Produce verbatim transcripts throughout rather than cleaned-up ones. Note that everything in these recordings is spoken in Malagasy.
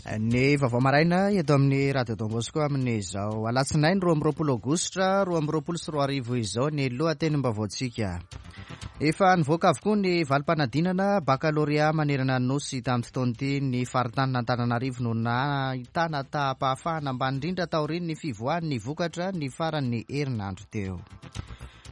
Ny vaovao maraina eto amin'ny Radio Don Bosco amin'izao alatsinainy roa amby roapolo aogositra roa amby roapolo sy roa arivo izao ny lohatenim-baovaontsika. Efa nivoaka avokoa ny valim-panadinana bakalorea manerana ny nosy tamin'ity taona ity. Ny faritanin'Antananarivo no nahitana taham-pahafahana ambany indrindra taorian'ny fivoahan'ny vokatra ny faran'ny herinandro teo.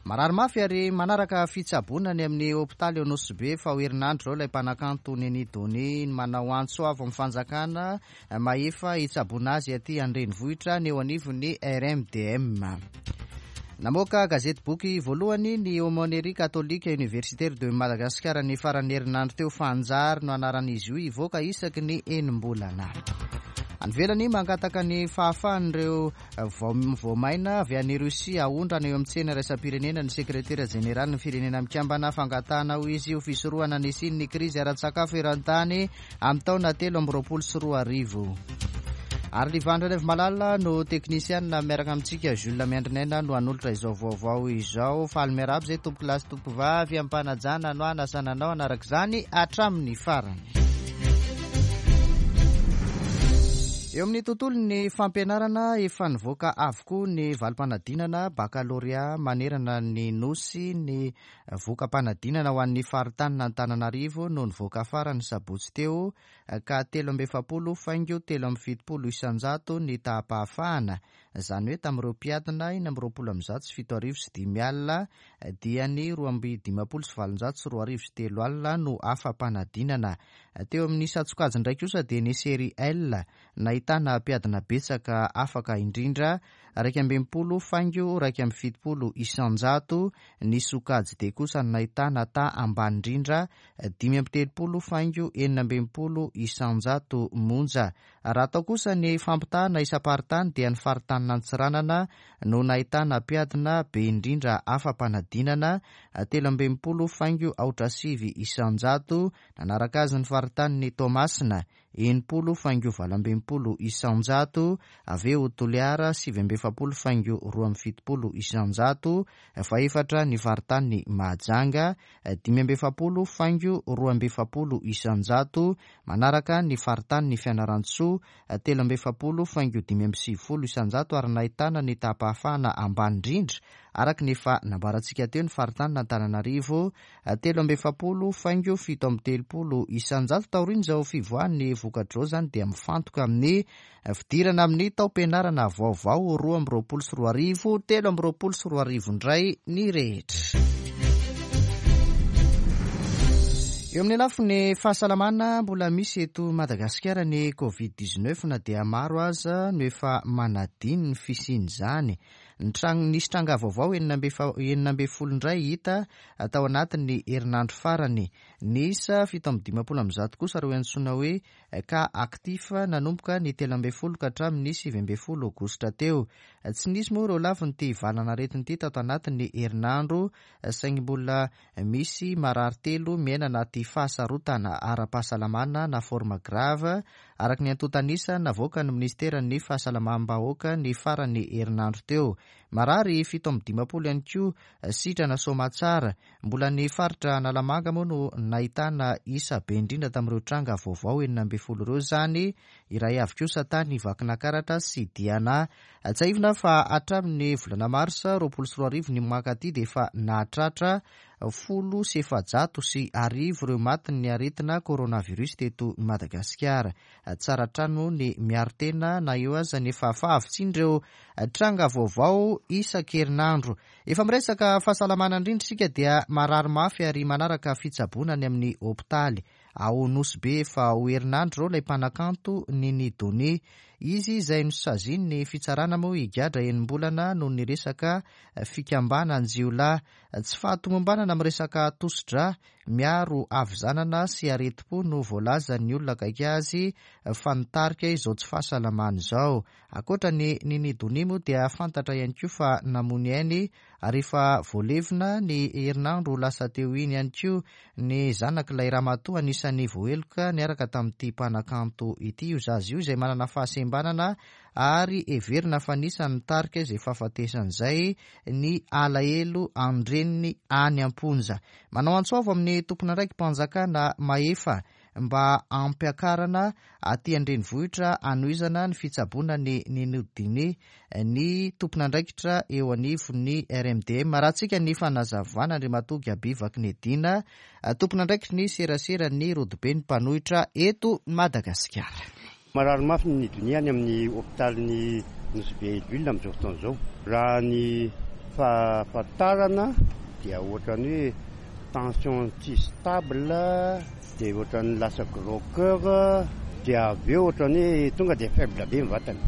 Marary mafy ary manaraka fitsaboana any amin'ny hopitaly eo Nosy Be fa ho herinandro izao ilay mpanakanto Neny Donia manao antso avo amin'ny fanjakana mahefa hitsaboana azy aty an-drenivohitra ny eo anivon'ny R M D M. Namoaka gazety boky voalohany ny Aumônerie Catholique Universitaire de Madagascar ny faran'ny herinandro teo. Fanjary no anaran'izy io, hivoaka isaky ny enim-bolana. Any ivelany, mangataka ny fahafahan'ireo voamaina avy any Rosia aondrana eo amin'ny tsena iraisam-pirenena ny sekretera jeneraly ny firenena mikambana. Fangatahana ho izy ho fisorohana ny hisian'ny krizy ara-tsakafo eran-tany amin'ny taona telo amby roapolo sy roa arivo. Ary Livandra Revomalala no teknisianina miaraka amintsika, Jules Miandrinaina no hanolotra izao vaovao izao. Faly miarahaba izay tompoko lahy sy tompoko vavy, ampanajana no anasana anao hanaraka izany hatramin'ny farany. Eo amin'ny tontolon'ny fampianarana, efa nivoaka avokoa ny valim-panadinana bakalorea manerana ny nosy. Ny voka-panadinana ho an'ny faritanin'Antananarivo no nivoaka farany sabotsy teo, ka telo amby efapolo faingo telo amby fitopolo isanjato ny taham-pahafahana. Izany hoe tamin'ireo mpiadina enina amby roapolo amby zato sy fito arivo sy dimy alina dia ny roa amby dimampolo sy valonjato sy roa arivo sy telo alina no afa-panadinana. Teo amin'ny isan-tsokajy indray kosa dia ny série L nahitana mpiadina betsaka afaka indrindra, iraika amby enimpolo faingo iraika amby fitopolo isanjato. Ny sokajy D kosa nahitana ta ambany indrindra, dimy amby telopolo faingo enina amby enimpolo isanjato monja. Raha atao kosa ny fampitahana isam-paritany dia ny faritanin'Antsiranana no nahitana mpiadina be indrindra afa-panadinana, telo amby enimpolo faingo aotra sivy isanjato. Nanaraka azy ny faritanin'i Toamasina, enimpolo faingo valo amby enimpolo isanjato. Avy eo Toliara, sivy amby efapolo faingo roa amby fitopolo isanjato. Fahefatra ny faritanin'i Mahajanga, dimy amby efapolo faingo roa amby efapolo isanjato. Manaraka ny faritanin'i Fianarantsoa, telo amby efapolo faingo dimy amby sivifolo isanjato. Ary nahitana ny taham-pahafahana ambany indrindra araka ny efa nambarantsika teo ny faritanin'Antananarivo, telo amby efapolo faingo fito amby telopolo isanjato. Taorian'izao fivoahan'ny vokatr'izao izany dia mifantoka amin'ny fidirana amin'ny taom-pianarana vaovao roa amby roapolo sy roa arivo, telo amby roapolo sy roa arivo indray ny rehetra. Eo amin'ny lafiny fahasalamana, mbola misy eto Madagasikara ny covid dix-neuf na dia maro aza no efa manadino ny fisian'izany. Ny trang-, nisy tranga vaovao enina amby efa-, enina amby folo indray hita tao anatin'ny herinandro farany. Niisa fito amby dimampolo amby zato kosa ireo antsoina hoe cas actif nanomboka ny telo amby folo ka hatramin'ny sivy amby folo aogositra teo. Tsy nisy moa ireo lafin'ity valan'aretina ity tato anatin'ny herinandro, saingy mbola misy marary telo miaina anaty fahasarotana ara-pahasalamana na forme grave, araka ny antontan'isa navoakan'ny minisiteran'ny fahasalamam-bahoaka ny faran'ny herinandro teo. Marary fito amby dimampolo ihany koa sitrana soamatsara. Mbola ny faritra Analamanga moa no nahitana isa be indrindra tamin'ireo tranga vaovao enina amby folo ireo izany, iray avy kosa tany Vakinankaratra sy Diana. Tsiahivina fa hatramin'ny volana marsa roapolo sy roa arivo ny mankaty dia efa nahatratra folo sy efajato sy arivo ireo matin'ny aretina coronavirus teto Madagasikara. Tsara trano ny miaro tena na eo aza ny efa fahavitsian'ireo tranga vaovao isan-kerinandro. Efa miresaka fahasalamana indrindra isika dia marary mafy ary manaraka fitsaboana any amin'ny hopitaly. Ao Nosy Be efa ho herinandro izao ilay mpanakanto Neny Donia. Izy izay nosazian'ny fitsarana moa higadra enim-bolana noho ny resaka fikambanan-jiolahy. Tsy fahatomombanana amin'ny resaka tosi-drà miaro havizanana sy aretim-po no voalazan'ny olona akaiky azy fa nitarika izao tsy fahasalamana izao. Ankoatra ny Neny Donia moa dia fantatra ihany koa fa namono ainy ary efa voalevina ny herinandro lasa teo iny ihany koa ny zanak'ilay ramatoa anisan'ny voaheloka niaraka tamin'ity mpanakanto ity. Io zaza io izay manana fahasembanana ary heverina fa anisan'ny nitarika izay fahafatesana izay ny alahelo an-dreniny any am-ponja. Manao antso avo amin'ny tompon'andraiki-panjakana mahefa mba ampiakarana aty an-drenivohitra hanohizana ny fitsaboana ny Ninie Donia ny tompon'andraikitra eo anivon'ny R M D M. Arahantsika ny fanazavana Andriamatoa Gaby Vakinedina, tompon'andraikitry ny serasera ny rodobe ny mpanohitra eto Madagasikara. Marary mafy ny Donia any amin'ny hôpitaly Nosy Be Hell-Ville amin'izao fotoana izao. Raha ny fahafantarana dia ohatrany hoe tension tsy stable, dia ohatrany lasa gros cœur, dia avy eo ohatrany hoe tonga dia faible be ny vatany.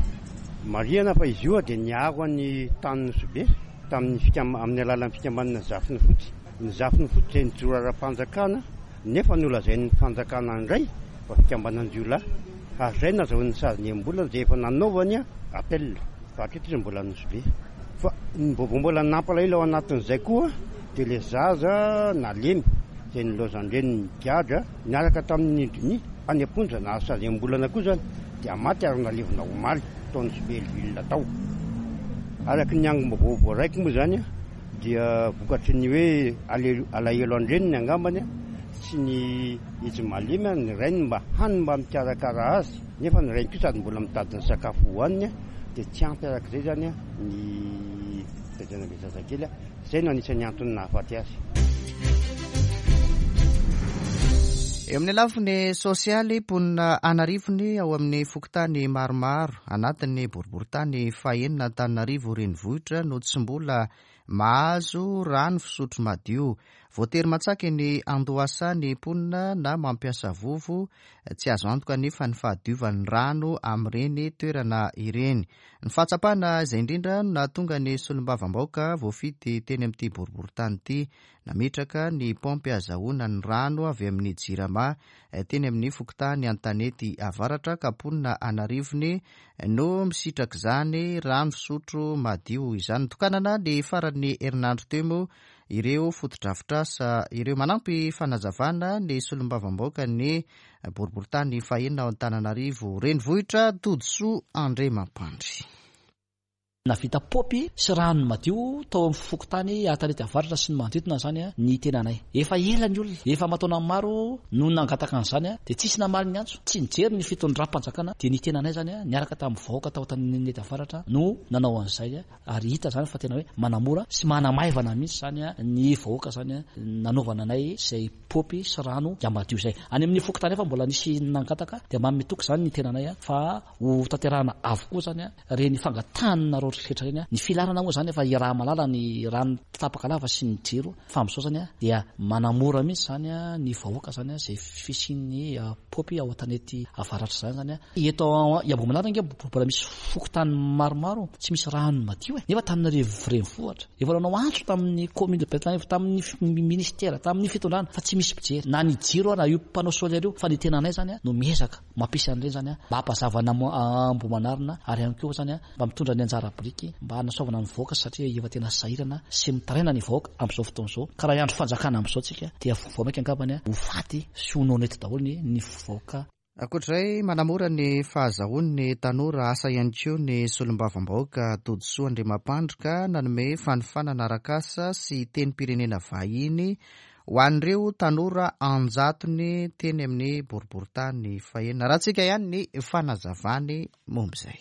Marihana fa izy io dia niaro ny tany Nosy Be tamin'ny fikam amin'ny alalan'ny fikambanana Zafiny Fotsy. Ny Zafiny Fotsy izay nijoro ara-panjakana, nefa nolazain'ny fanjakana indray fa fikambanan-jiolahy, ary izay nahazoany sazy enim-bolana izay efa nanaovany appel, fa hatreto izy mbola Nosy Be. Fa ny vaovao mbola nampalahelo ao anatin'izay koa dia le zaza nalemy izay nilaozan-dreniny nigadra niaraka tamin'ny Donia any am-ponja, nahazo sazy enim-bolana koa zany, dia maty ary nalevina omaly tao Nosy Be Hell-Ville tao. Araky ny angom-baovao voaraiko moa zany dia vokatry ny hoe alahelo an-dreniny angambany sy ny izy malemy, ny rainy mba hany mba mikarakara azy, nefa ny rainy koa sady mbola mitady ny sakafo hohaniny, dia tsy ampy arak'izay zany ny fitaizana be zazakely. Zay no anisan'ny antony nahafaty azy. Eo amin'ny lafiny sosialy, mponina anarivony ao amin'ny fokontany maromaro anatin'ny boriborintany fahenina Antananarivo renivohitra no tsy mbola mahazo rano fisotro madio. Voatery mantsaka ny andohasa ny mponina na mampiasa vovo. Tsy azo antoka nefa ny fahadiovan'ny rano amin'ireny toerana ireny. Ny fahatsapana izay indrindra no nahatonga ny solombavambahoaka voafidy teny amin'ity boriborintany ity nametraka ny paompy ahazoana ny rano avy amin'ny Jirama teny amin'ny fokontany Antanety Avaratra, ka mponina anarivony no misitraka izany rano fisotro madio izany. Tokanana ny faran'ny herinandro teo moa ireo fotodrafitrasa ireo. Manampy fanazavana ny solombavambahoaka ny boriborintany fahenina ao Antananarivo renivohitra, Todisoa Andriamampandry. Navita paompy sy rano madio tao amin'ny fokontany Antanety Avaratra sy ny manodidina zany ny tenanay. Efa ela ny olona, efa mataona maro no nangataka an'izany, dia tsisy namaly ny antso, tsy nijery ny fitondram-panjakana, dia ny tenanay zany niaraka tamin'ny vahoaka tao Antanety Avaratra no nanao an'izay, ary hita zany fa tena hoe manamora sy manamaivana mihitsy zany ny vahoaka zany nanaovana anay izay paompy sy rano madio izay. Any amin'ny fokontany efa mbola nisy nangataka, dia manome toky zany ny tenanay fa ho tanterahana avokoa zany reny fangatanareo rehetra reny. Ny filarana moa zany efa iraha malala ny rano tapaka lava sy ny jiro, fa amin'izao zany dia manamora mihitsy zany ny vahoaka zany izay fisian'ny paompy ao Antanety Avaratra zany zany. Eto Ambohimanarina ange mbola misy fokontany maromaro tsy misy rano madio e, nefa Antananarivo renivohitra. Efa nanao antso tamin'ny commune de Antananarivo, tamin'ny ministère, tamin'ny fitondrana, fa tsy misy mpijery na ny jiro na io panneau solaire io, fa ny tenanay zany no miezaka mampisy an'ireny zany mba hampazava Ambohimanarina, ary ihany koa zany mba mitondra ny anjara biriky mba hanasoavana ny vahoaka, satria efa tena sahirana sy mitaraina ny vahoaka amin'izao fotoana izao. Ka raha andro fanjakana amin'izao tsika dia vao mainka angambany ho faty sy ho noana eto daholo ny vahoaka. Ankoatr'izay, manamora ny fahazahoan'ny tanora asa ihany koa ny solombavambahoaka Todisoa Andriamampandry, ka nanome fanofanana arak'asa sy tenim-pirenena vahiny ho an'ireo tanora anjatony teny amin'ny boriborintany fahenina. Arahantsika ihany ny fanazavany momba izay.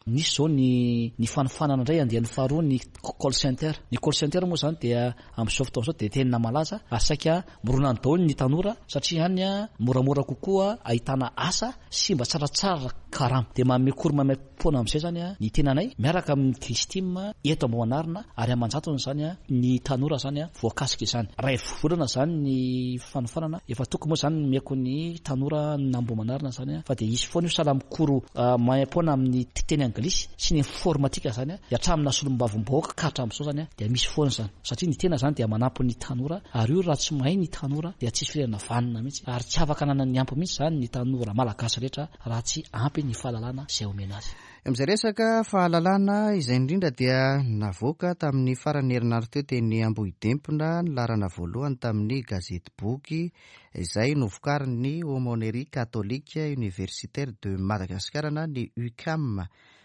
Nisy zao ny ny fanofanana indray andiany faharoa ny call center. Ny call center moa zany dia amin'izao fotoana izao dia tena malaza ary saika mirona ny daholo ny tanora, satria any moramora kokoa ahitana asa sy mba tsaratsara karama. Dia manome cours maimaimpoana amin'izay zany ny tenanay miaraka amin'ny Kristim eto Ambohimanarina, ary aman-jatony zany ny tanora zany voakasika izany. Ray volana zany ny fanofanana efa toko moa zany miako ny tanora n'Ambohimanarina zany, fa dia hisy foana io sahala amin'ny cours maimaimpoana amin'ny teny anglisy sy ny informatika zany, dia hatramin'ny solombavambahoaka ka hatramin'izao zany dia misy foana zany, satria ny tena zany dia manampy ny tanora, ary io raha tsy mahay ny tanora dia tsisy firenena vanona mihitsy, ary tsy afaka ananany ampy mihitsy zany ny tanora malagasy rehetra raha tsy ampy ny fahalalana izay omena azy. Amin'izay resaka fahalalana izay indrindra, dia navoaka tamin'ny faran'ny herinandro teo teny Ambohidempona ny laharana voalohany tamin'ny gazety boky izay novokarin'ny Aumônerie Catholique Universitaire de Madagascar na ny U C A M.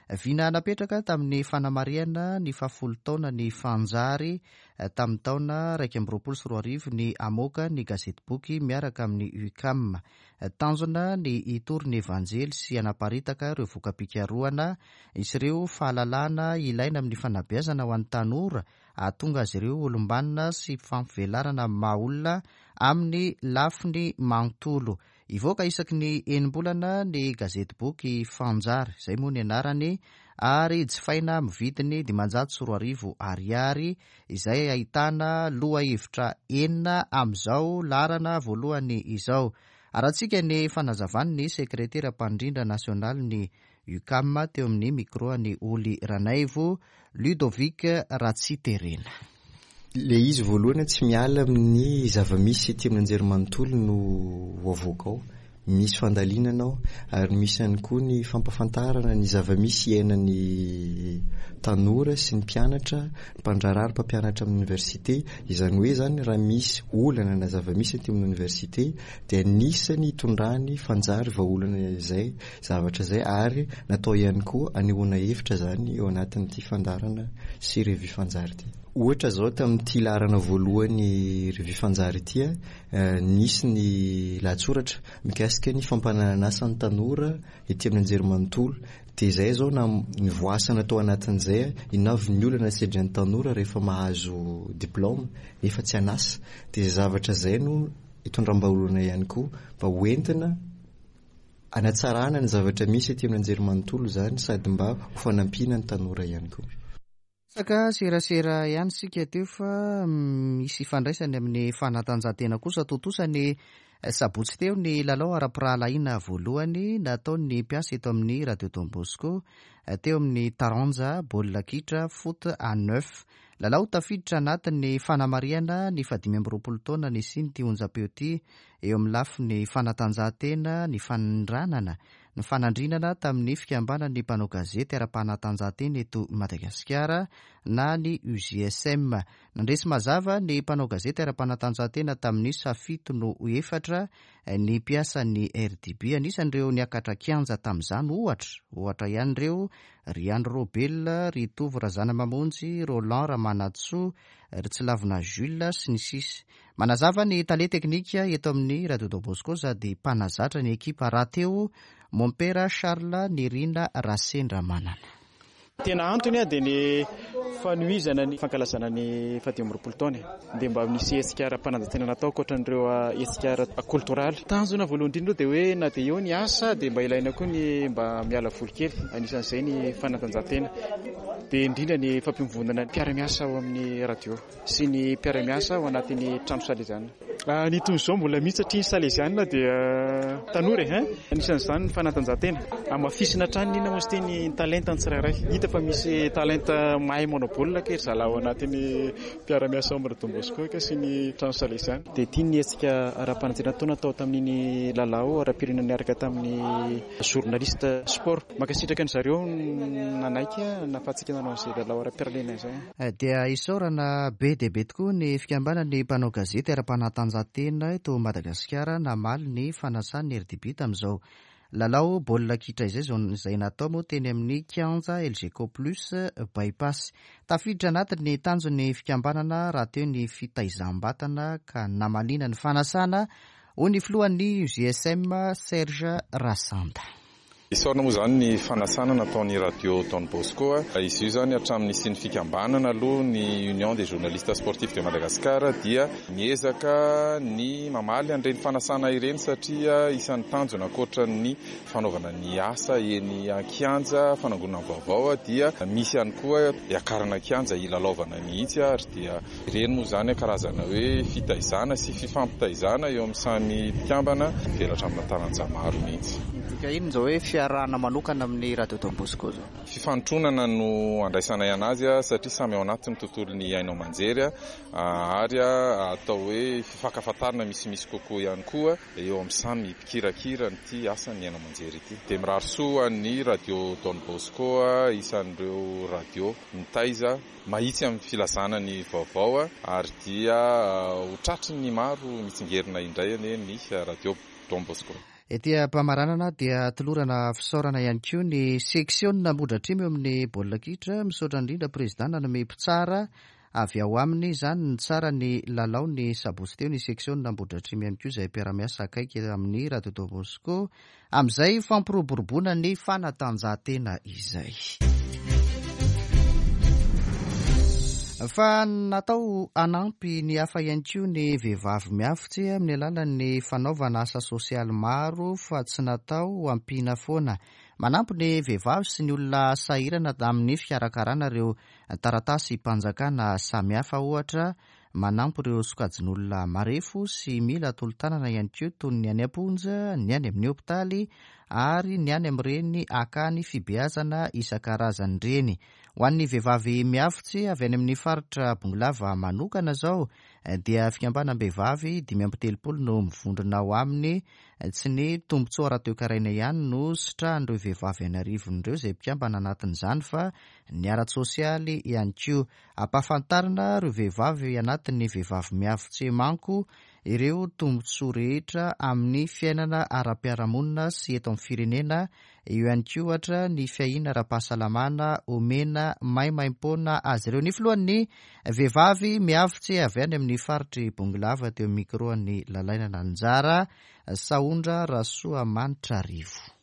Vina napetraka tamin'ny fanamarihana ny fahafolo taona ny Fanjary tamin'ny taona iraika amby roapolo sy roa arivo ny hamoaka ny gazetiboky miaraka amin'ny UCAM. Tanjona ny hitory ny evanjely sy hanaparitaka ireo voka-pikarohana sy ireo fahalalana ilaina amin'ny fanabeazana ho an'ny tanora hahatonga azy ireo olom-banona sy fampivelarana maha olona amin'ny lafiny manontolo. Hivoaka isaky ny enim-bolana ny gazetiboky Fanjary, izay moa ny anarany, ary jifaina amin'ny vidiny dimanjato sy roa arivo ariary, izay ahitana lohahevitra enina amin'izao laharana voalohany izao. Arahantsika ny fanazavan'ny sekretera mpandrindra nasionalin'ny UCAM teo amin'ny micro an'i Oly Ranaivo, Ludovic Ratsiterena. Le izy voalohany tsy miala amin'ny zava-misy ety amin'ny anjerimanontolo no ho avoaka ao. Misy fandalinana ao ary misy ihany koa ny fampahafantarana ny zava-misy iainan'ny tanora sy ny mpianatra, ny mpandraharaha, ny mpampianatra amin'ny université. Izany hoe zany raha misy olana na zava-misy ety amin'ny université dia anisany hitondrany Fanjary vahaolana izay zavatra izay, ary natao ihany koa anehoana hevitra zany eo anatin'ity fandaharana sy revue Fanjary ity. Ohatra zao tamin'ity laharana voalohany revue Fanjary ity, nisy ny lahatsoratra mikasika ny fampananana asa ny tanora ety amin'ny anjerimanontolo. Dia izay zao na nivoasana tao anatin'izay, inona avy ny olana sedrain'ny tanora rehefa mahazo diplôme nefa tsy an'asa. Dia izay zavatra izay no hitondram-bahaolana ihany koa mba hoentina hanatsarana ny zavatra misy ety amin'ny anjerimanontolo zany, sady mba ho fanampiana ny tanora ihany koa. Resaka serasera ihany isika teo fa misy ifandraisany amin'ny fanatanjahantena kosa. Tontosa ny sabotsy teo ny lalao ara-pirahalahiana voalohany nataon'ny mpiasa eto amin'ny Radio Don Bosco teo amin'ny taranja baolina kitra foot à neuf. Lalao tafiditra anatin'ny fanamarihana ny fahadimy amby roapolo taona nisian'ity onjam-peo ity eo amin'ny lafiny fanatanjahantena, ny fanindranana, ny fanandrinana tamin'ny fikambanan'ny mpanao gazety ara-panatanjahantena eto Madagasikara na ny U J S M. Nandresy mazava ny mpanao gazety ara-panatanjahantena tamin'ny isa fito no efatra ny mpiasan'ny R D B. Anisan'ireo niakatra kianja tamin'izany ohatra, ohatra ihany ireo ry Andry Robel, ry Tovo Razanamamonjy, Roland Ramanantsoa, ry Tsilavina Jules sy ny sisa. Manazava ny tale teknika eto amin'ny Radio Don Bosco sady mpanazatra ny ekipa rahateo Mompera Charles Nirina Rasendramanana. Tena antony dia ny fanohizana ny fankalazana ny fahadimy amby roapolo taona. Dia mba nisy hetsika ara-panatanjahantena natao ankoatran'ireo hetsika ara-koltoraly. Tanjona voalohany indrindra dia hoe na dia eo ny asa dia mba ilaina koa ny mba miala voly kely, anisan'izay ny fanatanjahantena. Dia indrindra ny fampivondronana ny mpiara-miasa ao amin'ny radio sy ny mpiara-miasa ao anatin'ny trano saleziana. Ny toy izao mbola mihitsy satria ny saleziana dia tanora e, hein? Anisan'izany ny fanatanjahantena. Hamafisina hatrany inona moa izy ity ny talenta ny tsirairay. Hita fa misy talenta mahay manao baolina kely zalahy ao anatin'ny mpiara-miasa ao amin'ny Don Bosco ka sy ny trano saleziana. Dia ity ny hetsika ara-panatanjahantena natao tamin'iny lalao ara-pirenena niaraka tamin'ny journaliste sport. Mankasitraka an-dry zareo nanaiky nahafahantsika nanao an'izay lalao ara-pirenena izay. Dia isaorana be dia be tokoa ny fikambanan'ny mpanao gazety ara-panatanjahantena eto Madagasikara namaly ny fanasan'ny R D B tamin'izao lalao baolina kitra izay zao izay natao moa teny amin'ny kianja L G Co Plus Bypass. Tafiditra anatin'ny tanjon'ny fikambanana rahateo ny fitaizam-batana ka namaliana ny fanasana hoy ny filohan'ny U J S M Serge Rasanda. Isaorana moa zany ny fanasana nataon'ny Radio Don Bosco. Izy io zany hatramin'ny nisian'ny fikambanana aloha ny Union des journalistes sportifs de Madagascar dia miezaka ny mamaly an'ireny fanasana ireny satria isan'ny tanjona ankoatran'ny fanaovana ny asa eny an-kianja, fanangonana vaovao dia misy ihany koa hiakarana kianja hilalaovana mihitsy, ary dia ireny moa zany karazana hoe fitaizana sy fifampitaizana eo amin'ny samy mpikambana mivelatra amina taranja maro mihitsy. Midika inona izao hoe fiarahana manokana amin'ny Radio Don Bosco zao? Fifanontronana no andraisanay anazy satria samy ao anatin'ny tontolon'ny haino aman-jery, ary atao hoe fifankafantarana misimisy kokoa ihany koa eo amin'ny samy mpikirakira an'ity asan'ny haino aman-jery ity. Dia mirary soa ny Radio Don Bosco, isan'ireo radio mitaiza mahitsy amin'ny filazana ny vaovao, ary dia ho tratry ny maro mitsingerina indray anie ny Radio Don Bosco. Ety am-pamaranana dia tolorana fisaorana ihany koa ny seksiona Ambohidratrimo eo amin'ny baolina kitra. Misaotra indrindra président nanome mpitsara avy ao aminy izany ny tsara ny lalao ny sabotsy teo. Ny seksiona Ambohidratrimo ihany koa izay mpiara-miasa akaiky amin'ny Radio Don Bosco amin'izay fampiroboroboana ny fanatanjahantena izay. Fa natao hanampy ny hafa ihany koa ny vehivavy miavotse amin'ny alalan'ny fanaovana asa sosialy maro fa tsy natao hampiana foana. Manampy ny vehivavy sy ny olona sahirana amin'ny fikarakarana ireo taratasy mpanjakana samihafa ohatra, manampy ireo sokajin'olona marefo sy mila tolo-tanana ihany koa toy ny any am-ponja, ny any amin'ny hopitaly ary ny any amin'ireny akany fibeazana isan-karazany ireny. Ho an'ny vehivavy miavotse avy any amin'ny faritra Bongolava manokana izao dia fikambanam-behivavy dimy amby telopolo no mivondrona ao aminy. Tsy ny tombontsoa ara-toekarena ihany no sitrahan'ireo vehivavy an'arivony ireo izay mpikambana anatin'izany fa ny ara-tsosialy ihany koa. Ampahafantarina ireo vehivavy anatin'ny vehivavy miavotse manko ireo tombontsoa rehetra amin'ny fiainana ara-piarahamonina sy eto amin'ny firenena. Eo ihany koa ohatra ny fiahiana ara-pahasalamana omena maimaimpoana azy ireo. Ny filohan'ny vehivavy miavotse avy any amin'ny faritry Bongolava teo micro ny Lalainana Anjara Sahondra Rasoamanitra Rivo.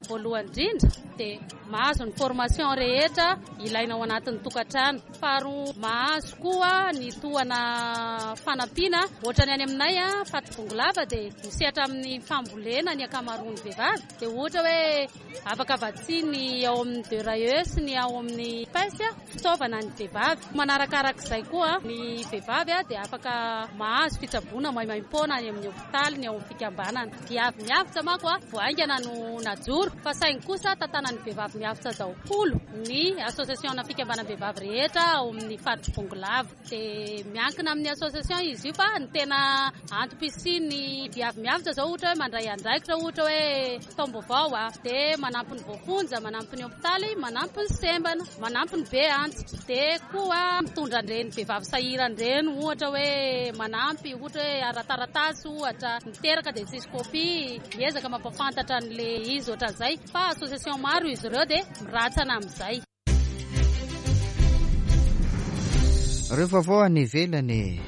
Voalohany indrindra dia mahazo ny formation rehetra ilaina ao anatin'ny tokantrano. Faharoa, mahazo koa ny tohana fanampiana. Ohatra ny any aminay a faritry Bongolava dia misehatra amin'ny fambolena ny ankamaroan'ny vehivavy. Dia ohatra hoe afaka vatsiany ao amin'ny D R E sy ny ao amin'ny P E S fitaovana ny vehivavy. Manarakarak'izay koa ny vehivavy dia afaka mahazo fitsaboana maimaimpoana any amin'ny hopitaly ny ao amin'ny fikambanana. Viavy miavotsa manko a vao haingana no najoro, fa saingy kosa tantanan'ny vehivavy miavotsa daholo ny association na fikambanam-behivavy rehetra ao amin'ny faritry Bongolava. Dia miankina amin'ny association izy io, fa ny tena antom-pisian'ny viavy miavotsa zao ohatra hoe mandray andraikitra, ohatra hoe taom-baovao a dia manampy ny voafonja, manampy ny hopitaly, manampy ny sembana, manampy ny be antitra, dia koa mitondra an'ireny vehivavy sahirana ireny, ohatra hoe manampy ohatra hoe ara-taratasy, ohatra miteraka dia tsisy kopia, miezaka mampafantatra an'le izy ohatran'izay. Fa association maro izy ireo dia miratsana amin'izay. Ireo vaovao any ivelany.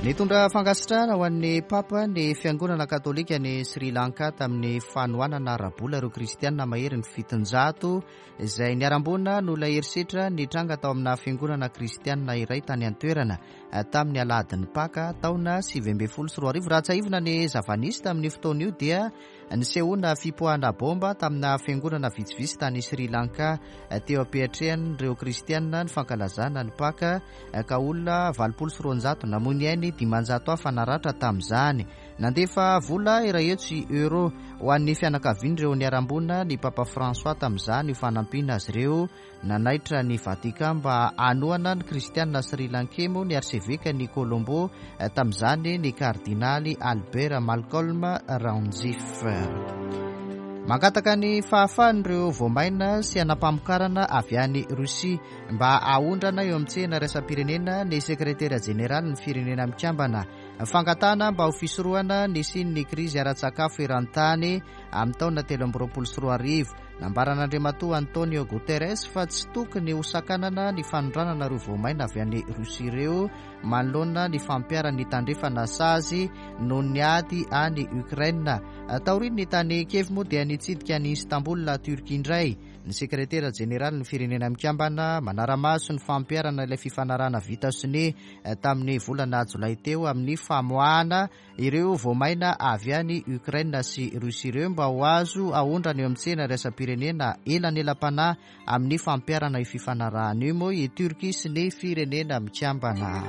Nitondra fankasitrahana ho an'ny papa ny fiangonana katolika ny Sri Lanka tamin'ny fanohanana ara-bola ireo kristianina mahery ny fitonjato izay niharam-boina noho ilay herisetra nitranga tao amina fiangonana kristianina iray tany an-toerana tamin'ny alahadin'ny Paka taona sivy ambin'ny folo sy roa arivo. Raha tsiahivina ny zava-nisy tamin'ny fotoana io dia nisehoana fipoahana bomba tamina fiangonana vitsivitsy tany Sri Lanka teo am-piatrehan'ireo kristianina ny fankalazana ny Paka, ka olona valopolo sy roanjato namoy ny ainy, dimanjato hafa naratra tamin'izany. Nandefa vola iray hetsy euro ho an'ny fianakavian'ireo niharam-boina ny Papa François tamin'izany ho fanampiana azy ireo. Nanaitra ny Vatican mba hanohana ny kristianina Sri Lankais moa ny arseveka ny Colombo tamin'izany, ny kardinaly Albert Malcolm Ranjith. Mangataka ny fahafahan'ireo voamaina sy anam-pamokarana avy any Rosia mba haondrana eo amin'ny tsena iraisam-pirenena ny sekretera jeneraly ny firenena mikambana. Fangatahana mba ho fisorohana ny hisian'ny krizy ara-tsakafo eran-tany amin'ny taona telo amby roapolo sy roa arivo. Nambaran'Andriamatoa Antonio Guterres fa tsy tokony ho sakanana ny fanondranana ireo voamaina avy any Rosia ireo manoloana ny fampiharan'ny tandrefana sazy noho ny ady any Ukraine. Taorian'ny tany Kiev moa dia nitsidika ny Istanbul, Turquie indray ny sekretera jeneraly ny firenena mikambana, manara-maso ny fampiharana ilay fifanarahana vita sonia tamin'ny volana jolay teo amin'ny famoahana ireo voamaina avy any Ukraine sy Russie ireo mba ho azo aondrana eo amin'ny tsena iraisam-pirenena. Elanelam-panahy amin'ny fampiharana io fifanarahana io moa i Turquie sy ny firenena mikambana.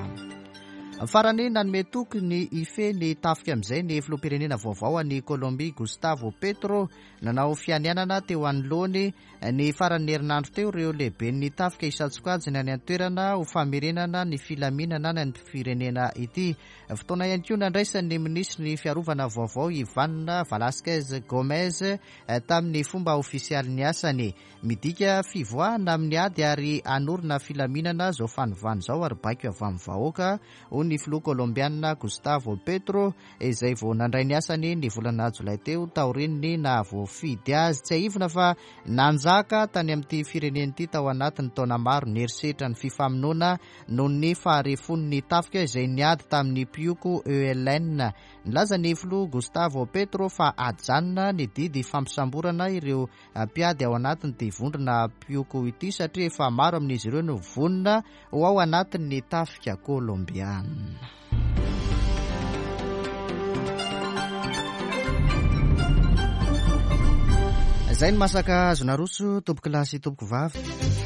Farany, nanome toky ny hifehy ny tafika amin'izay ny filoham-pirenena vaovao any Colombie, Gustavo Petro. Nanao fianianana teo anoloany ny faran'ny herinandro teo ireo lehibe ny tafika isan-tsokajiny any an-toerana ho famerenana ny filaminana any amin'ny firenena ity. Fotoana ihany koa nandraisan'ny minisitry ny fiarovana vaovao Ivan Velasquez Gomez tamin'ny fomba ofisialy ny asany. Midika fivoahana amin'ny ady ary hanorina filaminana zao fanovana izao ary baiko avy amin'ny vahoaka, hoy ny filoha kolombiana Gustavo Petro izay vao nandray ny asany ny volana jolay teo taorian'ny nahavoafidy azy. Tsiahivina fa nanjaka tany amin'ity firenena ity tao anatin'ny taona maro ny herisetra ny fifamonoana noho ny faharefon'ny tafika izay niady tamin'ny mpioko E L N. Nilaza ny filoha Gustavo Petro fa ajanona ny didy fampisamborana ireo mpiady ao anatin'ity vondrona mpioko ity satria efa maro amin'izy ireo no vonona ho ao anatin'ny tafika kolombiana. Izay ny masaka azo naroso tompoko lahy sy tompoko vavy.